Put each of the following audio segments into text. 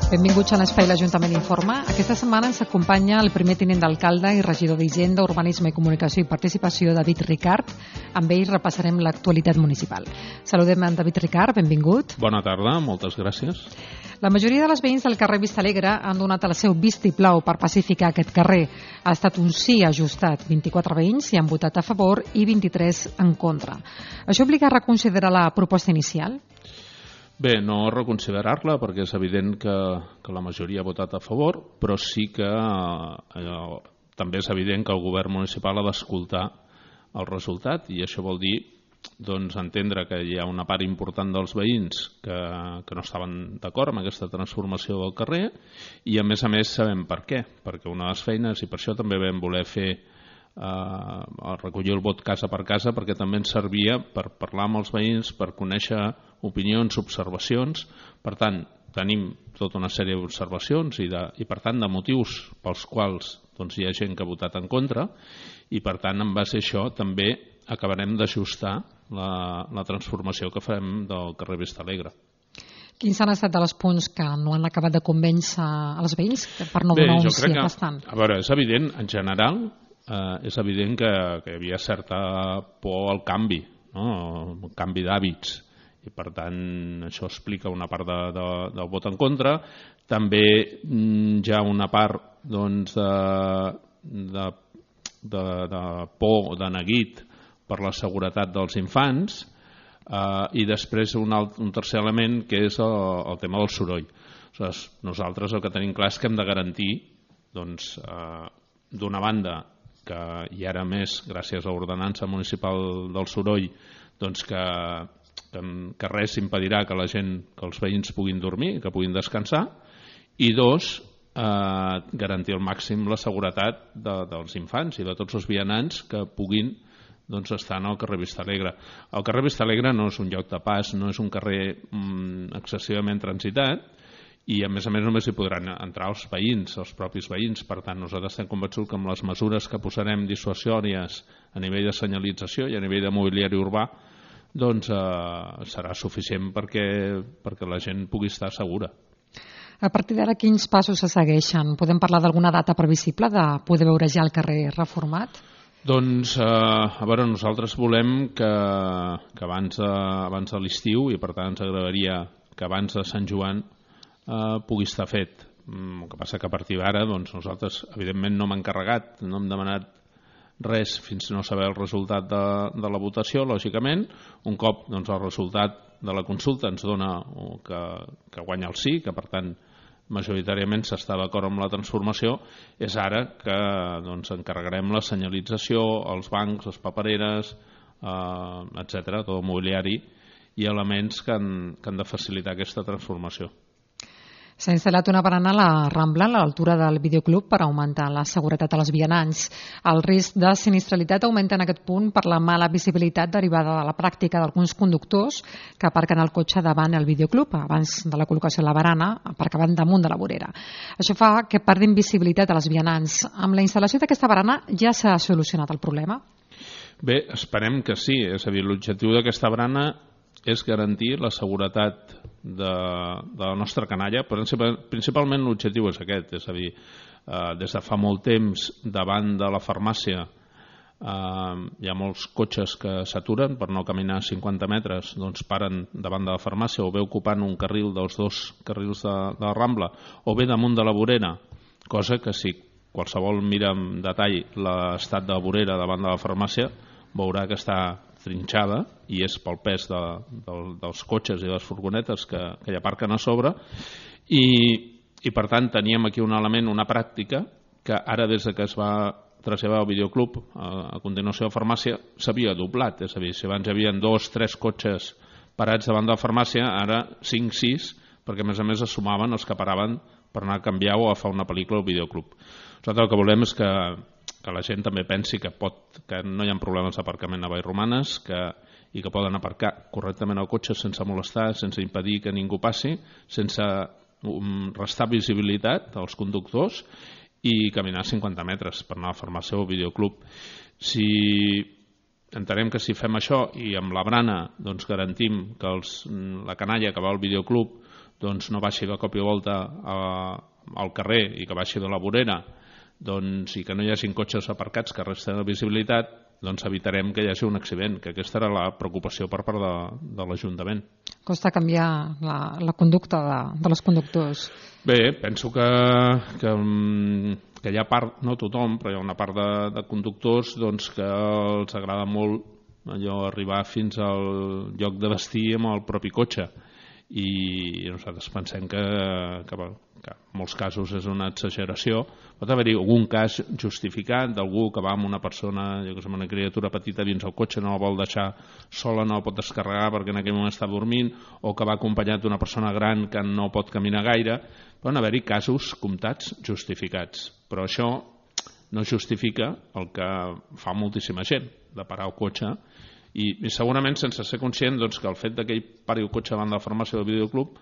Benvinguts a l'Espai l'Ajuntament Informa. Aquesta setmana ens acompanya el primer tinent d'alcalde i regidor d'Hisenda, Urbanisme i Comunicació i Participació, David Ricart. Amb ell repassarem l'actualitat municipal. Saludem en David Ricart, benvingut. Bona tarda, moltes gràcies. La majoria de les veïns del carrer Vistalegre han donat el seu vistiplau per pacificar aquest carrer. Ha estat un sí ajustat. 24 veïns hi han votat a favor i 23 en contra. Això obliga a reconsiderar la proposta inicial? Bé, no reconsiderar-la perquè és evident que la majoria ha votat a favor, però sí que també és evident que el govern municipal ha d'escoltar el resultat, i això vol dir entendre que hi ha una part important dels veïns que no estaven d'acord amb aquesta transformació del carrer, i a més sabem per què, perquè una de les feines, i per això també vam voler fer recollir el vot casa per casa, perquè també ens servia per parlar amb els veïns, per conèixer opinions, observacions. Per tant, tenim tota una sèrie d'observacions i per tant de motius pels quals hi ha gent que ha votat en contra, i per tant en base a això també acabarem d'ajustar la transformació que farem del carrer Vistalegre. Quins han estat dels punts que no han acabat de convèncer els veïns per no donar un sí aplastant? A veure, és evident, en general, és evident que hi havia certa por al canvi, no? El canvi d'hàbits, i per tant això explica una part del vot en contra. També hi ha una part de por, de neguit per la seguretat dels infants, i després un tercer element que és el tema del soroll. Nosaltres el que tenim clar és que hem de garantir d'una banda i ara més gràcies a l'ordenança municipal del soroll que res impedirà que els veïns puguin dormir, que puguin descansar, i dos, garantir al màxim la seguretat dels infants i de tots els vianants que puguin estar en el carrer Vistalegre. El carrer Vistalegre no és un lloc de pas, no és un carrer excessivament transitat, i a més només hi podran entrar els veïns, els propis veïns. Per tant, nosaltres estem convençuts que amb les mesures que posarem dissuasòries a nivell de senyalització i a nivell de mobiliari urbà serà suficient perquè la gent pugui estar segura. A partir d'ara, quins passos se segueixen? Podem parlar d'alguna data previsible de poder veure ja el carrer reformat? A veure, nosaltres volem que abans de l'estiu, i per tant ens agradaria que abans de Sant Joan pugui estar fet. El que passa que a partir d'ara nosaltres evidentment no hem encarregat, no hem demanat res fins no saber el resultat de la votació, lògicament. Un cop el resultat de la consulta ens dona que guanya el sí, que per tant majoritàriament s'està d'acord amb la transformació, és ara que encarregarem la senyalització, els bancs, les papereres, etc., tot el mobiliari i elements que han de facilitar aquesta transformació. S'ha instal·lat una barana a la Rambla, a l'altura del videoclub, per augmentar la seguretat als vianants. El risc de sinistralitat augmenta en aquest punt per la mala visibilitat derivada de la pràctica d'alguns conductors que aparquen el cotxe davant el videoclub, abans de la col·locació de la barana, aparcaven damunt de la vorera. Això fa que perdin visibilitat a les vianants. Amb la instal·lació d'aquesta barana ja s'ha solucionat el problema? Bé, esperem que sí. És a dir, l'objectiu d'aquesta barana és garantir la seguretat de la nostra canalla, però principalment l'objectiu és aquest, és a dir, des de fa molt temps davant de la farmàcia hi ha molts cotxes que s'aturen per no caminar 50 metres, paren davant de la farmàcia o bé ocupant un carril dels dos carrils de la Rambla o bé damunt de la vorera, cosa que si qualsevol mira amb detall l'estat de la vorera davant de la farmàcia veurà que està trinxada, i és pel pes dels cotxes i les furgonetes que hi aparquen a sobre, i per tant teníem aquí un element, una pràctica que ara des que es va traslladar al videoclub a continuació a la farmàcia s'havia doblat, és a dir, si abans hi havia 2 o 3 cotxes parats davant de la farmàcia, ara 5 o 6, perquè a més es sumaven els que paraven per anar a canviar o a fer una pel·lícula al videoclub. Nosaltres el que volem és que la gent també pensi que no hi ha problemes d'aparcament a Vallromanes i que poden aparcar correctament el cotxe sense molestar, sense impedir que ningú passi, sense restar visibilitat als conductors i caminar 50 metres per anar a la farmàcia o al videoclub. Entenem que si fem això i amb la brana garantim que la canalla que va al videoclub doncs no baixi de cop i volta al carrer i que baixi de la vorera, doncs, i que no hi hagin cotxes aparcats que resten de visibilitat, doncs evitarem que hi hagi un accident, que aquesta era la preocupació per part de l'Ajuntament. Costa canviar la conducta dels conductors. Bé, penso que hi ha part, no tothom, però hi ha una part de conductors doncs, que els agrada molt allò arribar fins al lloc de destí amb el propi cotxe, i nosaltres pensem que en molts casos és una exageració. Pot haver-hi algun cas justificat d'algú que va amb una persona, amb una criatura petita dins el cotxe, no la vol deixar sola, no la pot descarregar perquè en aquell moment està dormint, o que va acompanyat d'una persona gran que no pot caminar gaire. Poden haver-hi casos comptats justificats, però això no justifica el que fa moltíssima gent, de parar el cotxe, i segurament sense ser conscient doncs, que el fet que ell pari el cotxe davant de la farmàcia del videoclub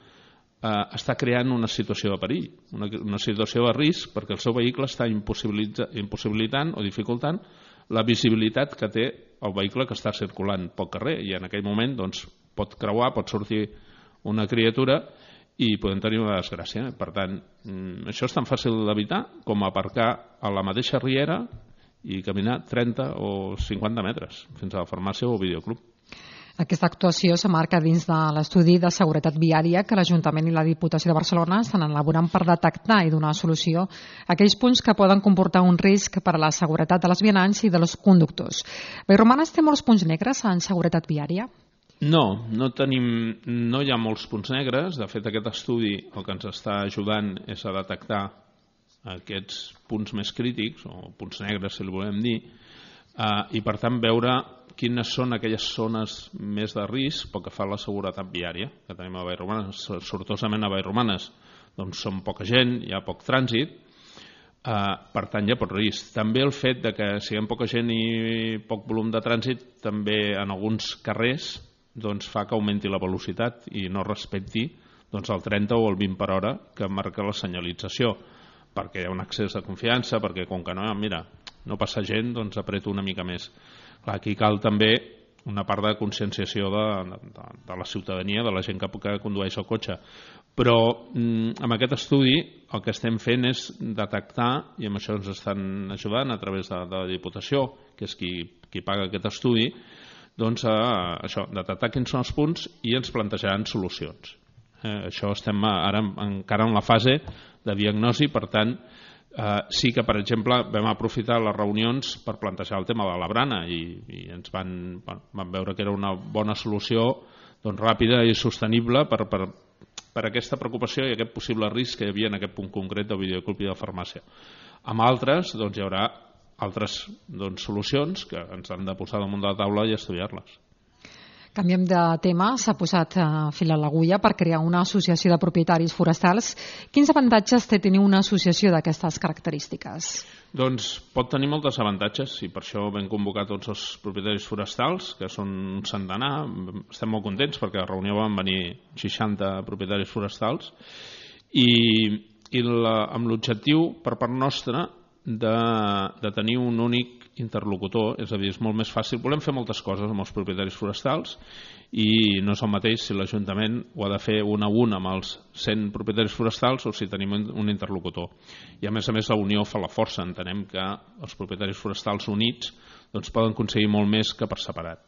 està creant una situació de perill, una situació de risc, perquè el seu vehicle està impossibilitant o dificultant la visibilitat que té el vehicle que està circulant pel carrer, i en aquell moment doncs, pot creuar, pot sortir una criatura i podem tenir una desgràcia. Per tant, això és tan fàcil d'evitar com aparcar a la mateixa riera i caminar 30 o 50 metres fins a la farmàcia o videoclub. Aquesta actuació s'emmarca dins de l'estudi de seguretat viària que l'Ajuntament i la Diputació de Barcelona estan elaborant per detectar i donar solució a aquells punts que poden comportar un risc per a la seguretat de les vianants i dels conductors. Vallromanes té molts punts negres en seguretat viària? No hi ha molts punts negres. De fet, aquest estudi el que ens està ajudant és a detectar aquests punts més crítics, o punts negres, si li volem dir, i per tant veure quines són aquelles zones més de risc pel que fa a la seguretat viària que tenim a Vallromanes. Sortosament a Vallromanes doncs són poca gent, hi ha poc trànsit, per tant hi ha poc risc. També el fet de que siguem poca gent i poc volum de trànsit també en alguns carrers doncs fa que augmenti la velocitat i no respecti doncs el 30 o el 20 per hora que marca la senyalització, perquè hi ha un excés de confiança, perquè com que no passa gent, doncs apreto una mica més. Clar, aquí cal també una part de conscienciació de la ciutadania, de la gent que condueix el cotxe. Però amb aquest estudi el que estem fent és detectar, i amb això ens estan ajudant a través de la Diputació, que és qui paga aquest estudi, doncs això, detectar quins són els punts i ens plantejaran solucions. Això estem ara encara en la fase de diagnosi, per tant, sí que, per exemple, vam aprofitar les reunions per plantejar el tema de la brana i ens van veure que era una bona solució doncs, ràpida i sostenible per aquesta preocupació i aquest possible risc que hi havia en aquest punt concret del videoclub i de farmàcia. Amb altres doncs, hi haurà altres solucions que ens han de posar damunt de la taula i estudiar-les. Canviem de tema. S'ha posat fil a l'agulla per crear una associació de propietaris forestals. Quins avantatges té tenir una associació d'aquestes característiques? Doncs pot tenir molts avantatges i per això vam convocar tots els propietaris forestals, que són un centenar. Estem molt contents perquè a la reunió van venir 60 propietaris forestals i amb l'objectiu per part nostra de tenir un únic interlocutor, és a dir, és molt més fàcil. Volem fer moltes coses amb els propietaris forestals i no és el mateix si l'Ajuntament ho ha de fer un a un amb els 100 propietaris forestals o si tenim un interlocutor. I a més la unió fa la força. Entenem que els propietaris forestals units doncs, poden aconseguir molt més que per separat.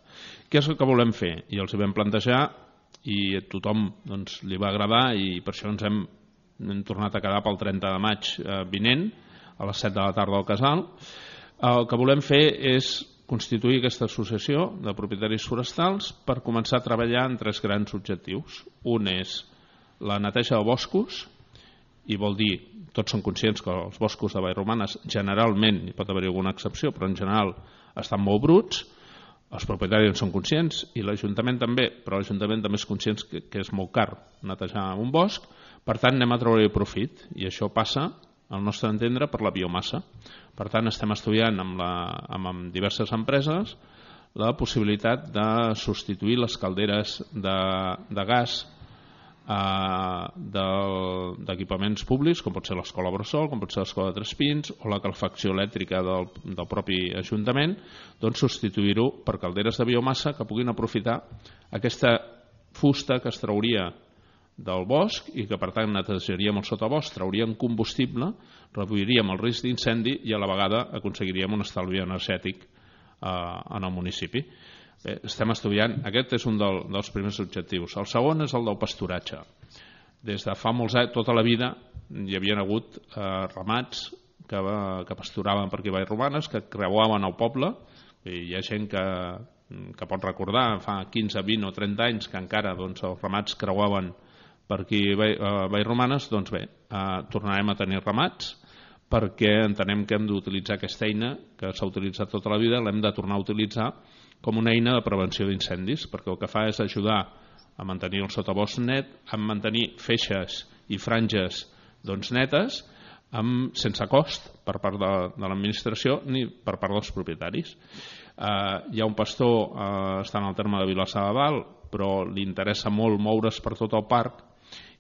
Què és el que volem fer? I els hi vam plantejar i a tothom doncs, li va agradar i per això ens hem tornat a quedar pel 30 de maig vinent a les 7 de la tarda al Casal. El que volem fer és constituir aquesta associació de propietaris forestals per començar a treballar en 3 grans objectius. Un és la neteja de boscos, i vol dir, tots són conscients que els boscos de Vallromanes generalment, hi pot haver alguna excepció, però en general estan molt bruts, els propietaris en són conscients i l'Ajuntament també, però l'Ajuntament també és conscient que és molt car netejar un bosc, per tant anem a treure-hi profit i això passa, al nostre entendre, per la biomassa. Per tant, estem estudiant amb diverses empreses la possibilitat de substituir les calderes de gas d'equipaments públics, com pot ser l'Escola Bressol, com pot ser l'Escola de Tres Pins o la calefacció elèctrica del propi Ajuntament, doncs substituir-ho per calderes de biomassa que puguin aprofitar aquesta fusta que es trauria del bosc i que per tant netejaríem el sotabosc, trauríem combustible, reduiríem el risc d'incendi i a la vegada aconseguiríem un estalvi energètic en el municipi. Bé, estem estudiant, aquest és un dels primers objectius. El segon és el del pasturatge. Des de fa molts anys, tota la vida, hi havia hagut ramats que pasturaven per aquí a Vallromanes, que creuaven el poble, i hi ha gent que pot recordar, fa 15, 20 o 30 anys que encara els ramats creuaven per aquí a Vallromanes. Doncs bé, tornarem a tenir ramats perquè entenem que hem d'utilitzar aquesta eina que s'ha utilitzat tota la vida, l'hem de tornar a utilitzar com una eina de prevenció d'incendis, perquè el que fa és ajudar a mantenir el sotabosc net, a mantenir feixes i franges netes, sense cost per part de l'administració ni per part dels propietaris. Hi ha un pastor, està en el terme de Vilassar de Dalt, però li interessa molt moure's per tot el parc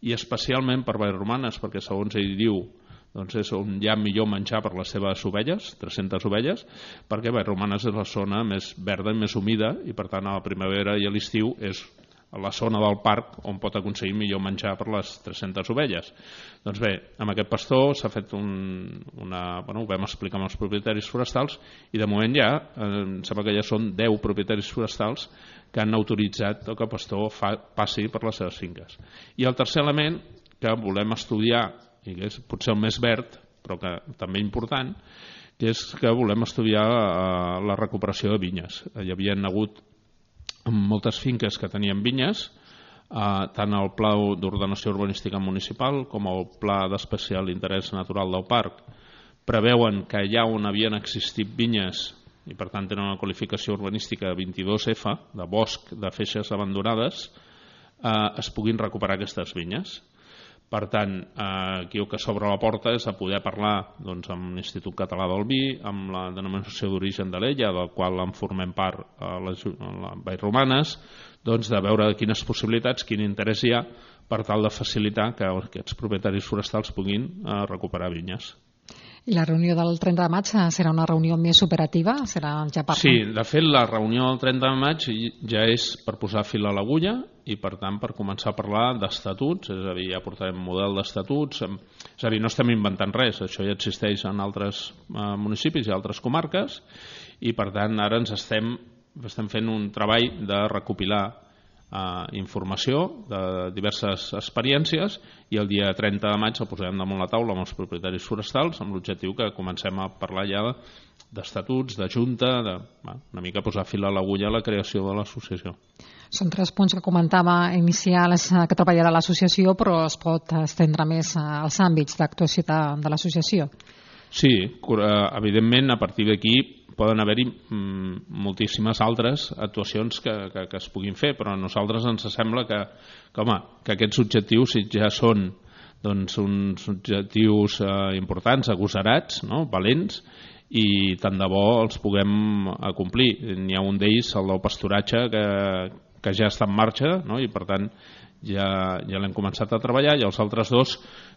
i especialment per Vallromanes, perquè segons ell diu és on hi ha millor menjar per les seves ovelles, 300 ovelles, perquè Vallromanes és la zona més verda i més humida i per tant a la primavera i a l'estiu és la zona del parc on pot aconseguir millor menjar per les 300 ovelles. Doncs bé, amb aquest pastor s'ha fet ho vam explicar amb els propietaris forestals i de moment ja, em sembla que ja són 10 propietaris forestals que han autoritzat que el pastor passi per les seves finques. I el tercer element que volem estudiar, i que és potser el més verd, però que també important, que és que volem estudiar la recuperació de vinyes. Hi havia hagut moltes finques que tenien vinyes, tant el Pla d'Ordenació Urbanística Municipal com el Pla d'Especial Interès Natural del Parc preveuen que allà on havien existit vinyes i per tant tenen una qualificació urbanística 22F, de bosc de feixes abandonades, es puguin recuperar aquestes vinyes. Per tant, aquí el que s'obre la porta és a poder parlar amb l'Institut Català del Vi, amb la denominació d'origen de l'Ella, del qual en formem part a Vallromanes, de veure quines possibilitats, quin interès hi ha per tal de facilitar que aquests propietaris forestals puguin recuperar vinyes. I la reunió del 30 de maig serà una reunió més operativa? Serà ja per... Sí, de fet la reunió del 30 de maig ja és per posar fil a l'agulla i per tant per començar a parlar d'estatuts, és a dir, ja portarem model d'estatuts, és a dir, no estem inventant res, això ja existeix en altres municipis i altres comarques i per tant ara estem fent un treball de recopilar informació de diverses experiències i el dia 30 de maig el posarem damunt la taula amb els propietaris forestals amb l'objectiu que comencem a parlar ja d'estatuts, de junta, una mica posar fil a l'agulla a la creació de l'associació. Són 3 punts que comentava inicials que treballarà l'associació, però es pot estendre més als àmbits d'actuació de l'associació. Sí, evidentment a partir d'aquí poden haver-hi moltíssimes altres actuacions que es puguin fer, però a nosaltres ens sembla que aquests objectius ja són uns objectius importants, agosarats, valents, i tant de bo els puguem acomplir. N'hi ha un d'ells, el del pasturatge, que ja està en marxa i per tant ja l'hem començat a treballar, i els altres 2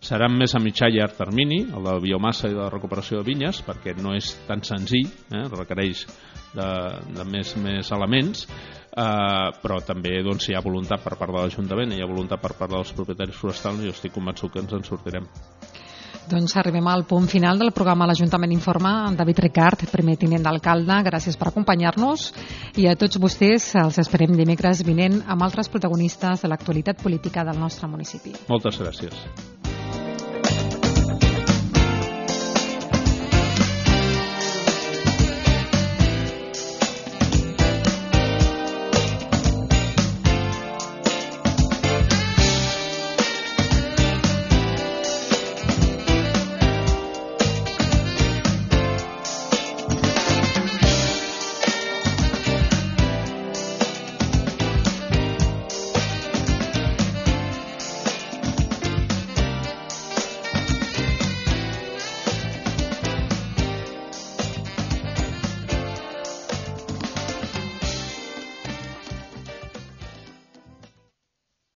seran més a mitjà i llarg termini, el de biomassa i de recuperació de vinyes, perquè no és tan senzill, requereix de més elements, però també si hi ha voluntat per part de l'Ajuntament i hi ha voluntat per part dels propietaris forestals, jo estic convençut que ens en sortirem. Doncs arribem al punt final del programa L'Ajuntament Informa. David Ricart, primer tinent d'alcalde, gràcies per acompanyar-nos, i a tots vostès els esperem dimecres vinent amb altres protagonistes de l'actualitat política del nostre municipi. Moltes gràcies.